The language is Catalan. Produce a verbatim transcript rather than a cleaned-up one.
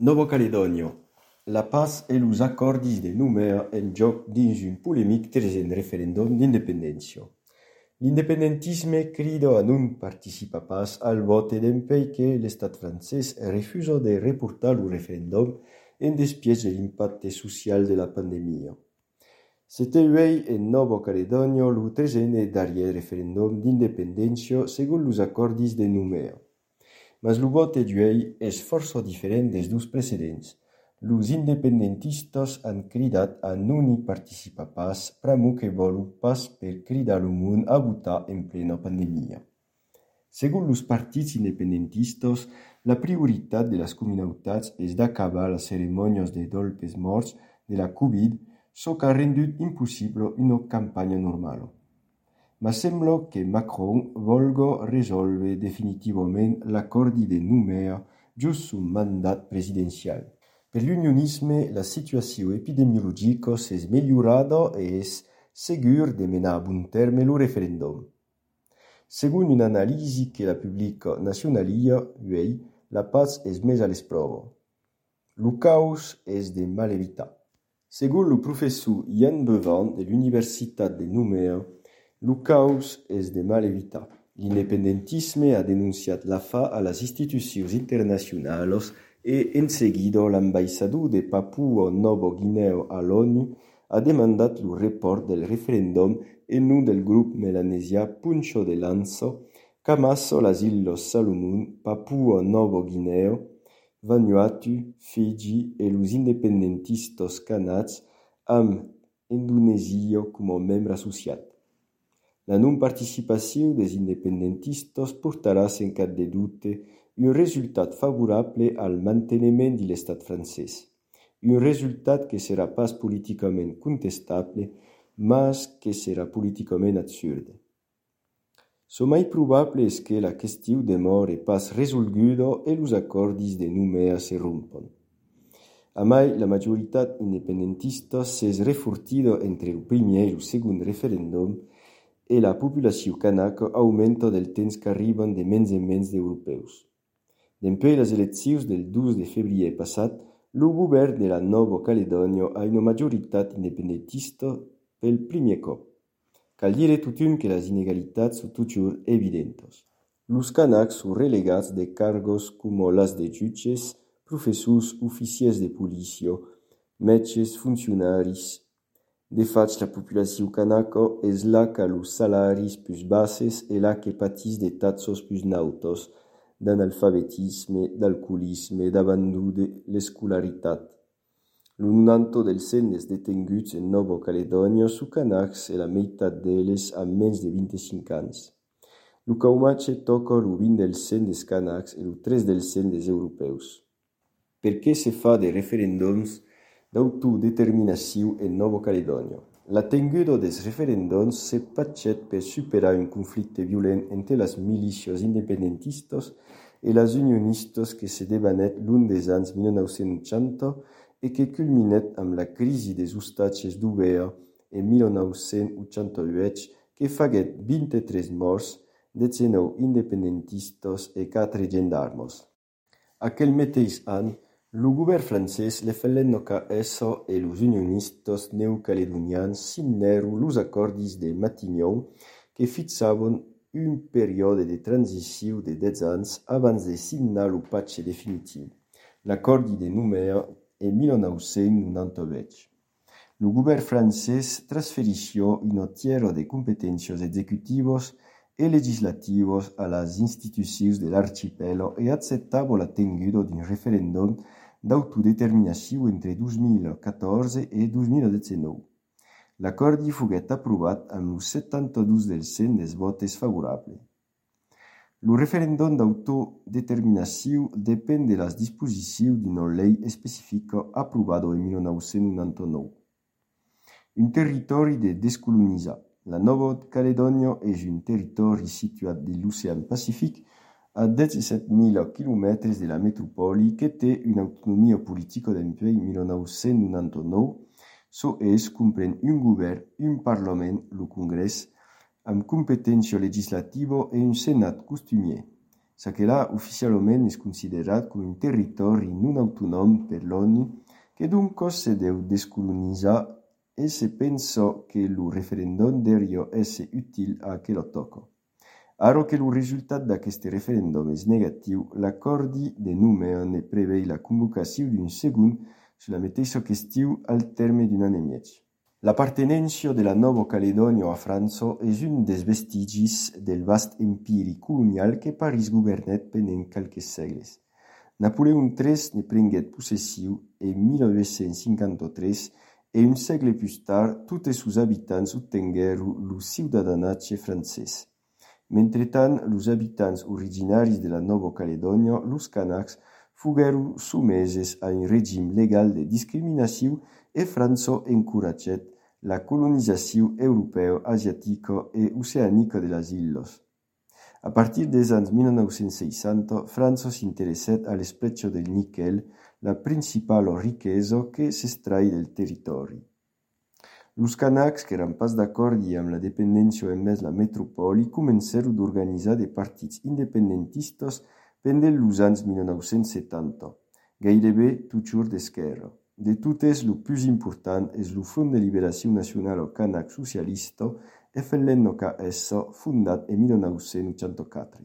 Nova Caledònia. La paz e los acordis de Nouméa en joc dins un polemic tresent referendum d'independència. L'independentisme crida a non participar pas al vot e dempei que l'estat francès refusa de reportar lo referendum en despièch de l'impacte social de la pandemia. C'était uei en Nova Caledònia lo tresent e darrièr referendum d'independència segon los acordis de Nouméa. Mas lo vote d'uei és força diferent des dos precedents. Los independentistas han cridat a non hi participar pas pramo que volu pas per cridar lo món a votar en plena pandemia. Segon los partits independentistas, la prioritat de las comunautats és d'acabar las ceremonias de dolpes morts de la Covid, çò qu'a rendut impossible una campanya normala. Ma sembla que Macron volga resolve definitivament l'accordi de Nouméa just sul mandat presidencial. Per l'unionisme, la situació epidemiologica s'és migliorada e és segur de menar a bon terme lo referendum. Segon un'analisi que la publica Nacionalia, uei, la paz és més a l'esprova. Lo caos és de mal evitar. Segon lo professor Ian Bevan de l'Universitat de Nouméa, lo caos és de mal evitar. L'independentisme ha denunciat la fa a las institucions internacionals e en seguida l'ambaixador de Papua Nova Guinea a l'ONU ha demandat lo report del referendum en nom del grup melanesià Punta de Lança qu'amassa las Illes Salomon, Papua Nova Guinea, Vanuatu, Fiji e los independentistas canats amb Indonesia com a membre associat. La non-participació des independentistas portarà sen cap de dubte un resultat favorable al manteniment de l'estat francès, un resultat que serà pas politicament contestable, mas que serà politicament absurde. Çò mai probable és que la qüestió demore pas resolguda e los acordis de Nouméa se rompan. A mai, la majoritat independentista s'és refortida entre el primer e el segon referendum e la populació canaca aumenta del temps qu'arriben de menys en menys d'europeus. Dempè les eleccions del dos de febrer passat, lo govern de la Nova Caledònia ha una majoritat independentista pel primer cop. Cal dire totun que les inegalitats són toujours evidentes. Los canacs són relegats de cargos com las de jutges, professors, oficiers de policia, metges, funcionaris. De faig, la població canaca és la que los salaris plus basses e la que patís de taxes plus nautos, d'analfabetisme, d'alcoholisme, d'abandó de l'escolaritat. Lo noranta del cent des detenguts en Nova Caledònia són canacs e la meitat d'elles amb menys de vint-i-cinc anys. Lo caumatge toca lo vint del cent des canacs e lo tres del cent des europeus. Per què se fa de referendums d'autodeterminació en Nova Caledònia? La tenguda des referendums se patxet per superar un conflicte violent entre les milícies independentistes e les unionistes que se debanet l'un des anys mil nou-cents ochanta e que culminet amb la crisi des ostatges d'Ubea en mil nou-cents ochanta-vuit que faguet vint-i-tres morts, dezenou independentistes e quatre gendarmes. Aquel mateix any, lo govern francès, le F N K S e los unionistes neocaledonians signeron los acordis de Matignon que fixaven un període de transició de dez anys abans de signar lo patge definitiu, l'accordi de Nouméa en mil nou-cents noranta-vuit. Lo govern francès transferició una tiera de competències executives e legislatives a les institucions de l'archipel e acceptava la tenguda d'un referendum d'autodeterminació entre dos mil catorze e dos mil diecinou. L'accordi foguet aprovat amb lo setanta-dos del cent des votes favorables. Lo referendum d'autodeterminació depèn de les disposicions d'una llei específica aprovada en mil nou-cents noranta-nou. Un territori de descolonitzar. La Nova Caledònia és un territori situat de l'Ocean Pacífic a disset mil quilòmetres de la metropoli que té una autonomia política d'empè en mil nou-cents noranta-nou, çò és comprèn un govern, un parlament, lo congrès, amb competència legislativa e un senat costumier. Saquelà oficialment és considerat com un territori non autonòm per l'ONU que donc se deu descolonizar e se pensa que lo referendum deuriá esse util a aquel toco. Aro que lo resultat d'aquest referendum és negatiu, l'accordi de Nouméa ne prevei la convocació d'un segon sur la mateixa qüestió al terme d'un an e mig. L'appartenència de la Nova Caledònia a França és un dels vestigis del vast empiri colonial que París governèt pendent quelques segles. Napoleon tres ne prenguèt possessió en mil nou-cents cinquanta-tres e un segle plus tard tots sos habitants obtengueren lo ciudadanatge francès. Mentretant, los habitants originaris de la Nova Caledònia, los Kanaks, fogueren someses a un règim legal de discriminació e França encoratgèt la colonizació europea, asiàtica e oceànica de les illes. A partir dels anys mil nou-cents seixanta, França s'interessèt a l'esplètja del níquel, la principal riquesa que s'extrai del territori. Los Kanaks, que eran pas d'acordi amb la dependència envers la metropoli, comencèron d'organitzar de partits independentistes pendent los anys mil nou-cents setanta, gairebé totjor d'esquerra. De totes, lo plus important és lo Front de Liberació Nacional Kanak Socialista, F L N K S, fundat en mil nou-cents ochanta-quatre.